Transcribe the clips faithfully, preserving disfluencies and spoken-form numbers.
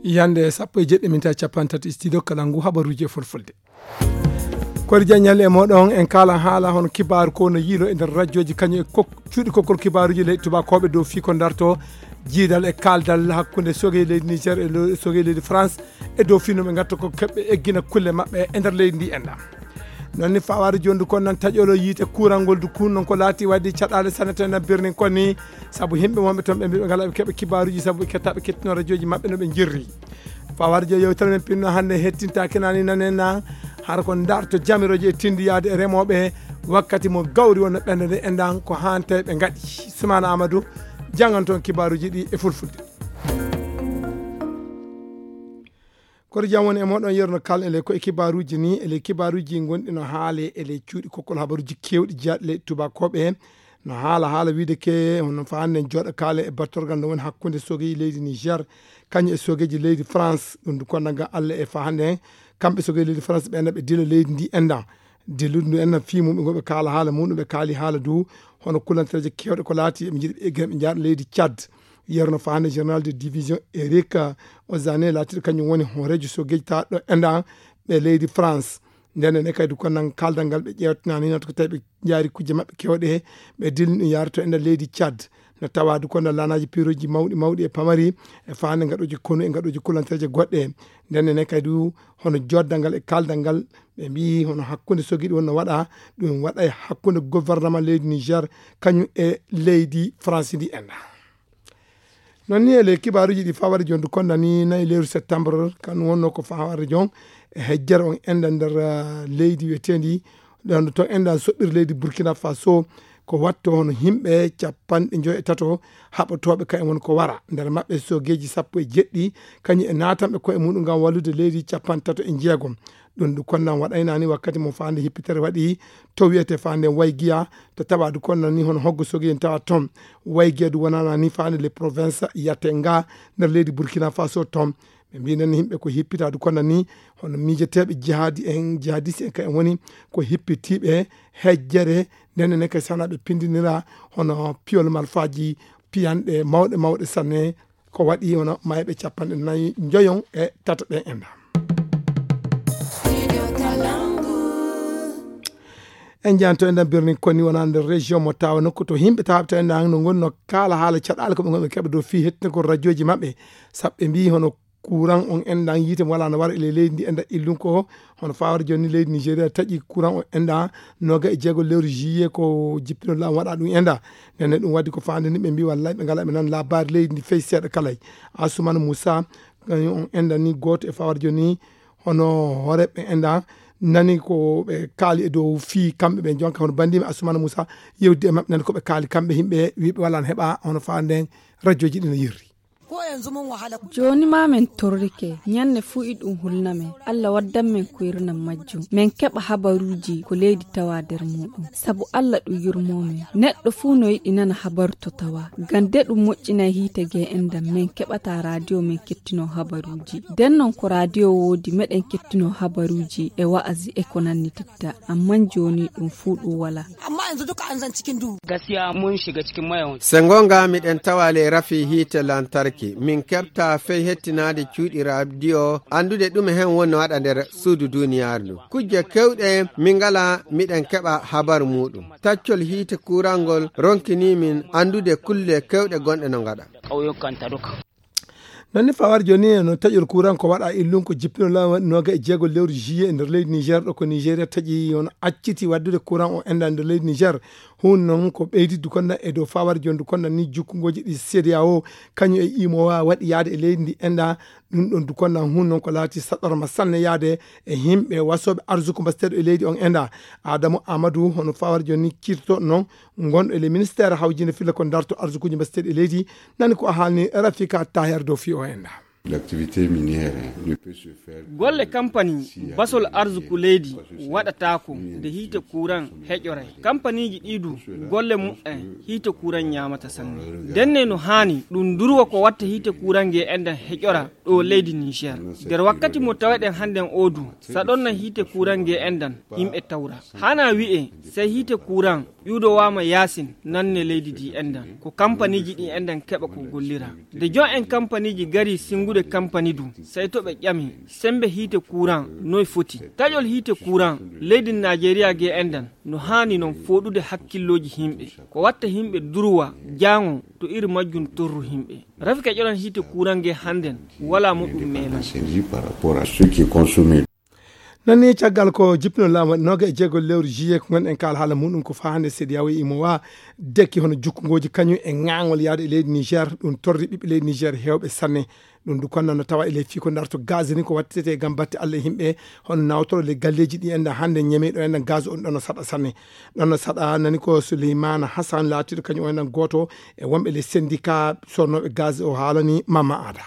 Yande sappo e jeɗɗi minta capantato studio kala ngu habaruji e fulfulde. Kori jañal e moɗon en kala haala hono kibaaru ko no yiilo e nder rajooji kañum e kok-, cuuɗi kokkol kibaaruji leyɗe tubakooɓe dow fii ko darto jiidal e kaaldal hakkunde sogey leydi Niger e lo-, sogey leydi France e dow fii no ɓe ngatta ko keɓɓe eggina kulle maɓɓe e nder leydi ndi enɗa. Noon ni fawaade jooni du kon nan taƴolo yiite kuurangol du kun non ko laati waɗi caɗaale sanne to enen birnin kon ni sabu yimɓe wonɓe toon ɓe mbiɓe ngala ɓe keɓa kibaaruji sabu ɓe kettaɓe kettino rajooji maɓɓe no ɓe jirri. Fawaade jooni yewtere men pinno hannde hettintaake nani nanen na hara ko darto jamiroje e tindiyaade e remooɓe wakkati mo gawri wonno ɓernde nde enɗan ko haante ɓe ngaɗi. Sumana Amadou janngan toon kibaaruji ɗi e fulfulde. Koto jam woni e moɗon yerno kal ele ko e kibaaruji ni ele kibaaruji gonɗi no haale ele cuuɗi kokkol habaruji kewɗi jaaɗi leyɗe tubakooɓe no haala haala wiide ke hono fa hannde jooɗa kaale e battorgal no woni hakkunde sogeji leydi Niger kañum e sogeji leydi France ɗum du konnaga Allah e fa hannde kamɓe sogeji leydi France ɓe ɓe dila leydi ndi enɗan dillude ndu enɗan fii mum ɓe goɓe kaala haala mum ɓe kaali haala du hono kulantereje kewɗe ko laati eɓe jiɗi ɓe eggira ɓe jaaɗa leydi Tchad. Yerno faande général de division Eric Ozane laatiɗo kañum woni hooreejo sogeji taɗɗo enɗan ɓe leydi France. Nden ne kadi ko nan kaldal ngal ɓe ƴeewtinani nan ko tawi ɓe jaari kujje maɓɓe kewɗe ɓe dilli ɗum yaara to enɗan leydi Tchad. No tawa du kono laanaji piroji mawɗi mawɗi e pamari e faande ngaɗoji konu e ngaɗoji kulantereje goɗɗe. Nden ne kadi du hono joddal ngal e kaldal ngal ɓe mbi hono hakkunde sogiɗi wonno waɗa ɗum waɗa e hakkunde gouvernement leydi Niger kañum e leydi France ndi enɗa. Noon ni e ley kibaaruji ɗi fawade jon du konnani nayi lewru septembre kan wonno ko fawade jon e hejjere on enɗa nder leydi wiyetendi ɗon to enɗa soɓɓir leydi Burkina Faso ko watto hono yimɓe capanɗe joyi e tato haɓotooɓe ka e won ko wara nder maɓɓe sogeji sappo e jeɗɗi kañum e natanɓe ko e muɗum ngam wallude leydi capanɗe tato e jeegom. Ɗum du konnan waɗaynani wakkati mo faande hippitere waɗi to wiyete faande waygiya to tawa du konnan ni hono hoggo sogi en tawa toon waygiya du wonana ni faande le province yatte nga nder leydi Burkina Faso toon. Ɓe mbinan yimɓe ko hippita du konnan ni hono miijeteeɓe jihadi en jihadiste en ka en woni ko hippitiiɓe hejjere ndenne ne kay sana ɓe pindinira hono piyol malfaji piyanɗe mawɗe mawɗe sanne. Ko waɗi hono mayɓe capanɗe nayi njoyon e tato ɓen enɗa. En jahanto enɗan birnin koni wona nder région mo tawa nokku to yimɓe tawata enɗan no gonno kala haala caɗaale ko ɓe gonɓe keɓa dow fii hettinagol radioji maɓɓe sabu ɓe mbi hono courant on enɗan yiite mo wala no wara e leydi ndi enɗa illun ko hono fawata joni leydi Nigeria taƴi courant on enɗa noga e jeego lewru juillet ko jippino law waɗa ɗum enɗa. Nene ɗum waddi ko fande ni ɓe mbi wallay ɓe ngala ɓe nan labari leydi ndi fey seeɗa kalay. Assoumane Moussa kañum on enɗan ni goto e fawata joni hono horeɓe enɗa nani ko ɓe kaali e dow fii kamɓe ɓe jonka hono bandimi Assoumane Moussa yewdi e maɓɓe nani ko ɓe kaali kamɓe yimɓe wiɓe wala no heɓa hono fa nden radioji ɗi no yirri. Jooni ma men torrike, ñande fuu iɗum hulna men. Allah waddan men kuyirnam majjum. Men keɓa habaruuji ko leydi tawa nder muuɗum. Sabu Allah ɗum yurmoo men. Neɗɗo fuu no yiɗi nana habaru to tawa. Ngam de ɗum moƴƴinay hiite ge enɗam men keɓata radio men kettino habaruuji. Nden non ko radio woodi meɗen kettino habaruuji e wa'azi e ko nanni titta. Amman jooni ɗum fuu ɗum wala. Amma yanzu duka an zan cikin duhu. Gaskiya mun shiga cikin mayan. Se ngonga miɗen tawa ley rafi hiite lantarki. Min keɓta fey hettinaade cuuɗi radio anndude ɗume hen woni waɗa nder suudu duniyaaru ndu. Kujje kewɗe min ngala miɗen keɓa habaru muuɗum. Taccol hiite kuurangol ronkini min anndude kulle kewɗe gonɗe no ngaɗa. Ƙauyukanta duka. Noon ni fawar jooni no taƴol courant ko waɗa illun ko jippino law waɗi noga e jeego lewru juillet e nder leydi Niger ɗo ko Nigeria taƴi on acciti waddude courant o enda nder leydi Niger. Hun noon ko ɓeydi dukonda e dow fawar jooni dukonda ni jukkungoji ɗi C D A O kañum e imo wawa waɗi yaade e leydi ndi enda. Ɗum ɗon dukonda hun noon ko laati saɗorma sanne yaade e yimɓe wasoɓe arsuku mbasteɗo e leydi on enda. Adamu Amadou hono fawar jooni ni kirto noon gonɗo e le ministére hawjinde filla ko darto arsukuji mbasteɗi e leydi. Nani ko a haalni Rafika Taher dow fii o enɗa. L'activité minière ne peut se faire golle kampani basol arsuku leydi waɗataako nde hiite kuran heƴoray. Kampaniiji ɗiɗu golle muɓɓen hiite kuran ñaamata sanne. Ndenne no haani ɗum durwa ko watta hiite kuran nge enɗan heƴora ɗo leydi Niger. Nder wakkati mo taweɗen hannden odu saɗonna hiite kuran nge enɗan yimɓe tawra. Hana wi'e sey hiite kuran Ƴuuɗowaama yaasin nanne leydi ndi enɗan. Ko kampaniiji ɗi enɗan keɓa ko gollira. Nde jon en kampaniiji gari sinngude kampani du, sey to ɓe ƴami, semmbe hiite kuuran noy foti? Taƴol hiite kuuran leydi Naajeeriya ge enɗan no haani non fooɗude hakkillooji yimɓe. Ko watta yimɓe durwa jaango to iri majjum torru yimɓe. Rafi ka ƴoran hiite kuuran ge hannden walaa mo ɗum meema. Nani caggal ko jippino laamu waɗi nooga e jeego lewru juillet ko ngonɗen kaal haala muɗum ko faa hannde sedi yawo e imo waa dekki hono jukkungooji kañum e ŋaangol yaade e leydi Niger. Ɗum torri ɓiɓɓe leydi Niger heewɓe sanne. Ɗum du konna no tawa e ley fii ko darto gaz ni ko wattete gam batte Allah e yimɓe hono nawtoro le galleeji ɗi enɗan hannde ñemeyɗo enɗan gaz on ɗon no saɗa sanne. Ɗon no saɗa nani ko Souleymane Hassan laatiiɗo kañum o enɗan gooto e wonɓe le syndicat sornooɓe gaz o haalani Mama Ada.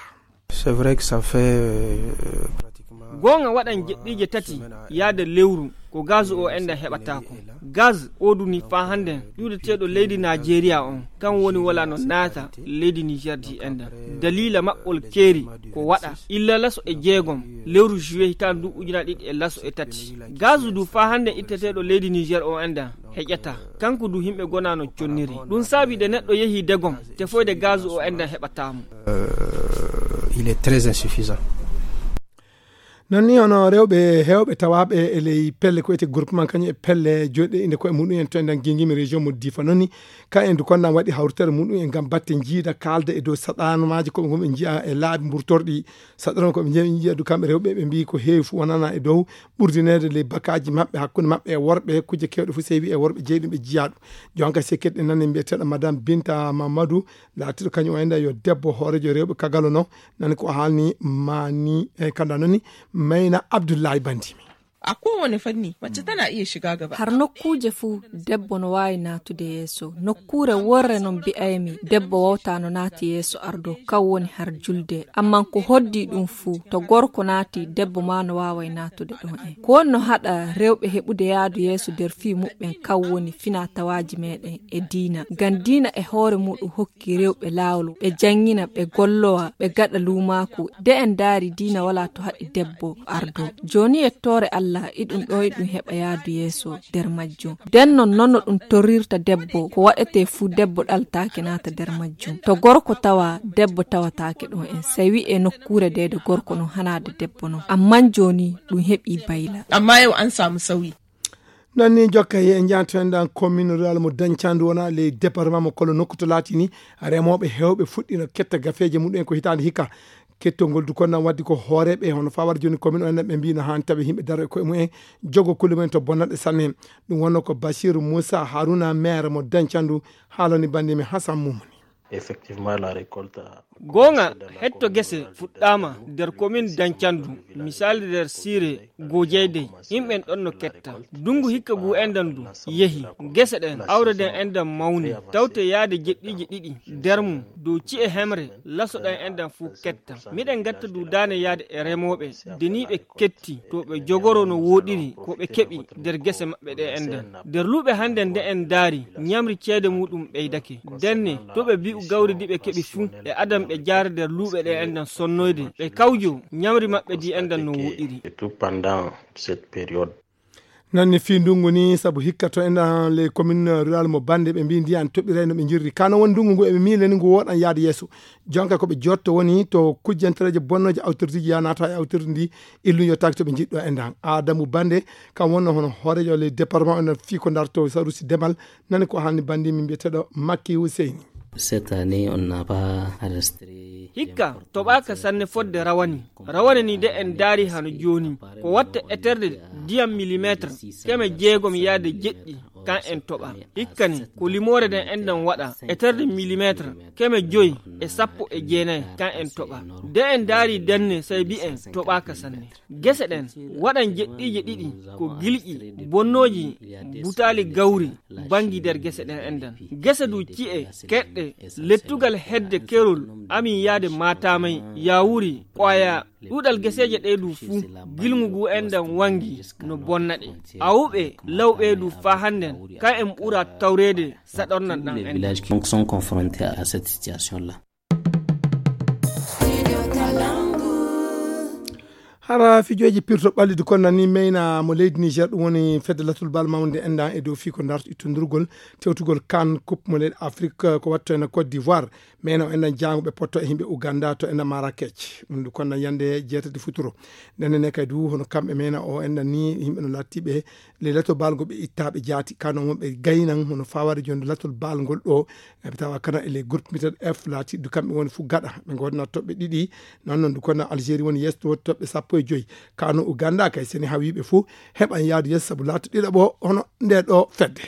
C'est vrai que ça fait, euh, pratiquement goonga waɗan jeɗɗiije tati yaade lewru ko gaz o enɗan heɓataako. Gaz o duni faa hannden ƴuuɗeteeɗo leydi Naajeeriya on kan woni wala no naata leydi Niger di enɗan. Daliila maɓɓol keeri ko waɗa illa laso e jeegom lewru juillet hitaande ndu ujunaaji ɗiɗi e laso e tati. Gaz du faa hannden itteteeɗo leydi Niger o enɗan heƴata. Kanko du yimɓe gona no conniri. Ɗum saabi de neɗɗo yehi degom, tefoyde gaz o enɗan heɓataa mo. Euh, il est très insuffisant. Non ni hono rewɓe heewɓe tawaaɓe e ley pelle ko wiyetee groupement kañum e pelle joɗɗe inde koye muɗum en to enɗan gingimi région mo Difa non ni ka en du konɗan waɗi hawritere muɗum en ngam batte jiida kaalda e dow saɗanamaaji ko ɓe ngon ɓe njiya e laabi mburtorɗi. Saɗano ko ɓe njiya, ɓe njiya du kamɓe rewɓe ɓe mbiyi ko heewi fof wonana e dow ɓurdineede ley bakaaji maɓɓe hakkunde maɓɓe e worɓe kujje kewɗe fof sewi e worɓe jeyi ɗum ɓe jiya ɗum. Jonka sekkirɗe nani mbiyeteeɗo madame Binta Mamadou laatiiɗo kañum o enɗan yo debbo hoorejo rewɓe kagalo no nani ko haalni mani e kanda noni mayna Abdullahi Bandimi. A kowane fanni mace tana iya shiga gaba. Har nokkuuje fuu debbo no waawi naatude yeeso. Nokkuure worre non mbi'aymi debbo wawtaa no naati yeeso ardo kaw woni har julde. Amman ko hoddi ɗum fuu to gorko naati debbo maa no waaway naatude ɗon en. Ko woni no haɗa rewɓe heɓude yaadu yeeso nder fii muɓɓen kaw woni finaa tawaaji meeɗen e diina. Ngam diina e hoore muɗum hokki rewɓe laawol ɓe janngina ɓe gollowa ɓe gaɗa luumaaku. De en ndaari diina walaa to haɗi debbo ardo. Jooni yettoore Allah iɗum ɗo iɗum heɓa yaadu yeeso nder majjum. Den non non no ɗum torrirta debbo ko waɗetee fuu debbo ɗaltaake naata nder majjum. To gorko tawa debbo tawataake ɗon en. Sey wi'e nokkuure deede gorko non hanaade debbo non. Amman jooni ɗum heɓi bayla. Amma yau an samu sauyi. Non ni jokka e en jaato en ɗan commune rural mo Dañcandu wona ley département mo Kolo nokku to laatini remooɓe heewɓe fuɗɗino ketta gafeeje muɗum en ko hitaande hikka. Kettol ngol du konnan waddi ko hooreeɓe hono fawar jooni commune o en ɓe mbiino haan tawi yimɓe daro e koye mumen jogo kulle mumen to bonnanɗe sanne. Ɗum wonno ko Basiru Muusa Haruna maire mo Dañcandu haalani banndiimi Hasan Mumuni. Effectivement, la récolte a goonga commencé dans la hetto commune gese rurale de fuɗɗaama Danchandu, nder commune Danchandu, misali nder siire gojeydey yimɓen ɗon no ketta. Dungu hikka ngu enɗan ndu yehi, gese ɗen awre ɗen enɗan mawni tawte yaade jeɗɗiiji ɗiɗi nder mum dow ci'e hemre laso ɗan enɗan fuu ketta. Miɗen ngatta duudaane yaade e remooɓe deniiɓe ketti to ɓe jogoro no wooɗiri ko ɓe keɓi nder gese maɓɓe ɗe enɗan. Nder luuɓe hannden nde en ndaari ñamri ceede muuɗum ɓeydake. Ndenne to ɓe bi'u gawri ndi ɓe keɓi fuu e adan ɓe jaara nder luuɓe ɗe enɗan sonnoyde ɓe kawjo ñamri maɓɓe ndi enɗan no wooɗiri. Surtout pendant cette période. Nanni fii ndungu ni sabu hikka to enɗan ley commune rural mo Bande ɓe mbii ndiyan toɓɓiray no ɓe njirri kano won ndungu ngu eɓe miile ni ngu woɗan yaade yeeso. Jonka ko ɓe jotto woni to kujjantereeje bonnooje awtordiiji ya naata e awtordi ndi illu yottaaki to ɓe njiɗɗo enɗan. Adamu Bande kam wonno hono hooreejo ley département enɗan fii ko ndarto sarusi demal. Nani ko haalni banndiimi mbiyeteeɗo Makki Huseyni. Cette année on n'a pas enregistré hikka toɓaaka sanne fodde rawane. Rawane ni de en ndaari hano jooni ko watta eterde ndiyam millimetre keme jeegom yaade jeɗɗi kan en toɓa. Hikka ni ko limoore nden enɗan waɗa eterde millimetre keme joyi e sappo e jeenayi kan en toɓa. De en ndaari denne sey mbi'en toɓaaka sanne. Gese ɗen waɗan jeɗɗiije ɗiɗi ko gilƴi bonnooji butaali gawri banngi nder gese ɗen enɗan. Gese du ci'e keɗɗe lettugal hedde kerol amin yaade maataamay yaawuri ɓooya. Ɗuuɗal geseeje ɗe du fuu gilngu ngu enɗan wangi no bonna ɗe. Awuɓe lawɓe du faa hannden kan en ɓura tawreede saɗornan ɗan enɗan. Donc sont confrontés à cette situation là. Ara fijooji pirto ɓallidu kon nani meyna mo leydi Niger, ɗum woni fedde latul bal mawnde enɗan e dow fii ko ndarto ittondurgol tewtugol kan coupe mo leydi Afrique ko watto en Côte d'Ivoire. Meyna o enɗan jaango ɓe potto e yimɓe Uganda to enɗan Marrakech. Ɗum ndu kon nan yande jeetati futuro. Nden ne kadi du hono kamɓe meyna o enɗan ni yimɓe no lattiɓe le latul bal ngo ɓe ittaɓe jaati kano mo ɓe gaynan hono fawade jonde latul bal ngol ɗo. Ɓe tawa kana e les groupes mbiyeteeɗo F laatiiɗo kamɓe woni fof gaɗa. Ɓe ngoodana toɓɓe ɗiɗi. Noon noon, kono Algérie woni yeeso to toɓɓe sappo e joy. Kano Uganda kay, seni hawiiɓe fof heɓan yaadu yeeso sabu laato ɗiɗaɓo hono nde ɗo fedde.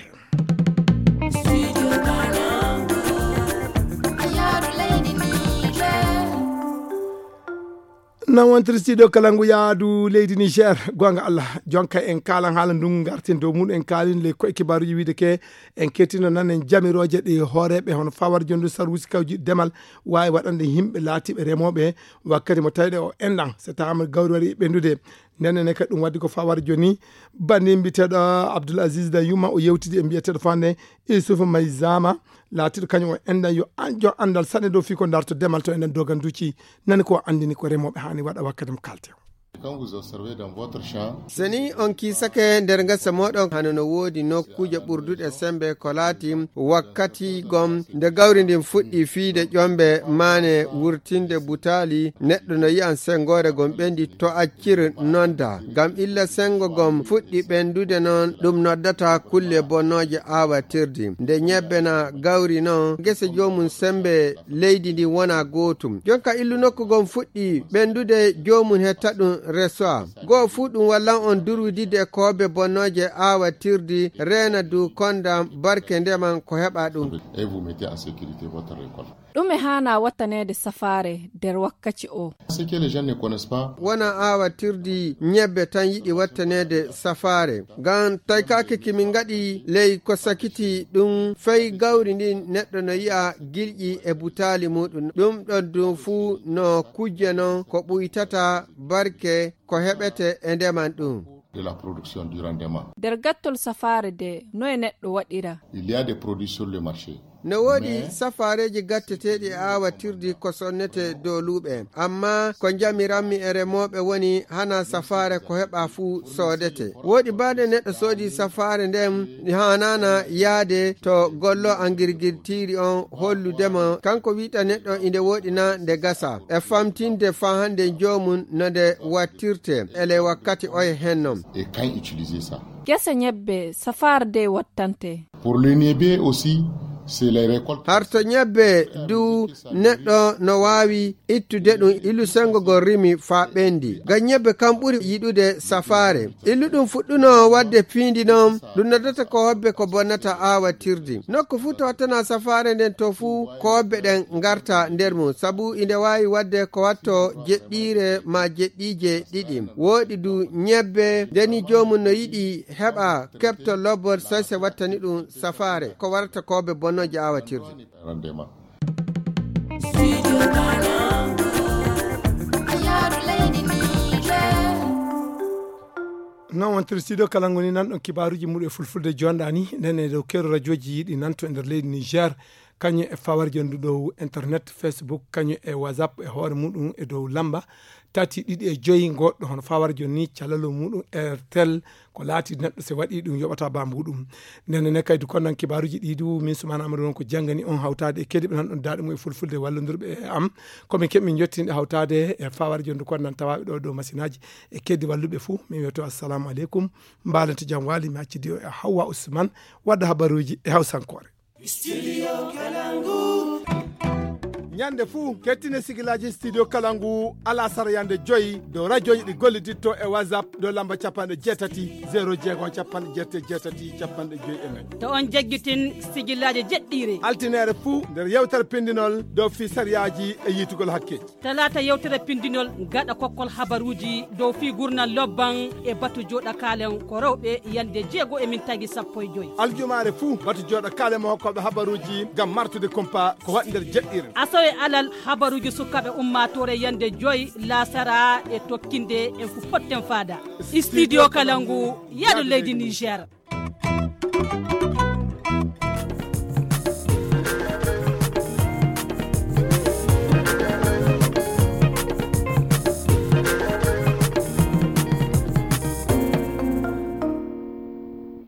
Nan wontiri studio kala ngu yaadu leydi Niger. Gonga Allah, jonka en kaalan haala ndun, ngarten dow muɗum en kaalin le koye kibaaruji wiide ke. En kettino nan en jamirooje ɗi hooreeɓe hono fawar jondu sarwusi kawji demal waawi waɗande yimɓe laatiiɓe remooɓe wakkati mo tawde o enɗan so taama gawri waɗi ɓendude. Nden ne kadi ɗum waddi ko fawar joni. Banndi mbiyeteeɗo Abdoul Aziz da Yuma o yewtidi e mbiyeteeɗo fande Issouf Maizama, laatiiɗo kañum o enɗan yo an-, jo anndal saɗne dow fii ko ndarto demal to enɗan doganduuci. Nani ko anndini ko remooɓe haani waɗa wakkati mo kaalte o. Quand vous observez dans votre champ, so ni on kiisake nder ngesa moɗon, hano no woodi nokkuuje ɓurduɗe sembe ko laati wakkati gom nde gawri ndin fuɗɗi fiide ƴombe maane wurtinde butaali, neɗɗo no yi'an sengoore gom ɓendi to accir nonda. Ngam illa sengo gom fuɗɗi ɓendude non, ɗum noddata kulle bonnooje aawatirdi. Nde ñebbe na gawri non, ngesa joomum sembe leydi ndi wona gootum. Jonka illu nokku gom fuɗɗi ɓendude, joomum hetta ɗum resoa. Goo fuu ɗum wallan on durwidide koobe bonnooje aawatirdi, reena du kondam barke ndeman ko heɓa ɗum. Et vous mettez en sécurité votre récolte. Ɗume haana wattaneede safaare nder wakkaci o? Ce que les gens ne connaissent pas. Wona aawatirdi ñebbe tan yiɗi wattaneede safaare. Ngam taykaaki ki min ngaɗi ley ko sakiti ɗum fay gawri ndin neɗɗo no yi'a gilƴi e butaali muɗum. Ɗum ɗon ɗum fuu no kujje non ko ɓuytata barke ko heɓete e ndeman ɗum. De la production du rendement. Nder gattol safaare de, noye neɗɗo waɗira? Il y a des produits sur le marché. No woodi safaareeji gatteteeɗi e aawatirdi ko sonnete dooluuɓe. Amma ko njamiranmi e remooɓe woni hana safaare ko heɓa fuu soodete. Woodi baade neɗɗo soodi safaare nden haanaana yaade to gollo angirgirtiiri on holludemo kanko wi'ta neɗɗo inde woɗi na nde gasa. E famtinde faa hande joomum no nde wattirte ele wakkati oye hennon. Et quand utiliser ça? Gese ñebbe safaare de wattante. Pour le niébé aussi, c'est les récoltes. Harto ñebbe du neɗɗo no waawi ittude ɗum ilu sengo gol rimi faa ɓendi. Ngam ñebbe kam ɓuri yiɗude safaare. Ilu ɗum fuɗɗuno wadde piindi non, ɗum noddata ko hobbe ko bonnata aawatirdi. Nokku fuu to wattana safaare nden to fuu ko hobbe ɗen ngarta nder mum. Sabu inde waawi wadde ko watto jeɗɗiire ma jeɗɗiije ɗiɗi. Wooɗi du ñebbe, ndeni joomum no yiɗi heɓa kepto lobbol soyse wattani ɗum safaare. Ko warata koobe bonnooje aawatirde. Rendement. Non wontiri studio kala ngoni nan ɗon kibaaruji muɗum e fulfulde jonɗani. Nden e dow keero rajooji yiɗi nanto e nder leydi Niger. Kañum e fawarje ndu dow internet, Facebook, kañum e WhatsApp e hoore muɗum e dow lamba tati ɗiɗi e joyi ngoɗɗo hono fawarjo ni calalu muɗum Airtel ko laati neɗɗo se waɗi ɗum yoɓata ba muɗum. Nden ne kaydi kon nan kibaaruji ɗi du min Sumana Amadou won ko janngani on hawtaade e kedi ɓe nan ɗon daaɗe mum e fulfulde wallondirɓe e am. Ko min keɓ min jottinde hawtaade e fawarjo ndu kon nan tawaaɓe ɗo dow masinaaji e kedi walluɓe fuu. Min wiyoto assalamu aleykum. Mbaalante jam waali mi accidi o e Hawwa Usman wadda habaruuji e hawsankoore. Studio Kalangu. Ñande fuu, kettine sigilaaji Studio Kalangu alasara yande joyi dow rajooji ɗi golliditto e WhatsApp dow lamba capanɗe jeetati, zéro jeego, capanɗe jeetati, jeetati, capanɗe joyi e nayi. To on jaggitin sigilaaji jeɗɗiire. Altineere fuu nder yewtere pindinol dow fii sariyaaji e yiitugol hakkeeji. Talaata yewtere pindinol gaɗa kokkol habaruuji dow fii gurnal lobban e batu jooɗa kaalen ko rewɓe yande jeego e min tagi sappo e joyi. Aljumaare fuu batu jooɗa kaalen mo hokkooɓe habaruuji ngam martude kumpa ko waɗi nder jeɗɗiire. Asawe alal habaruuji sukaaɓe ummaatoore yande joyi laasara e tokkinde en fu potten faada. Studio Kalangu, yaadu leydi Niger.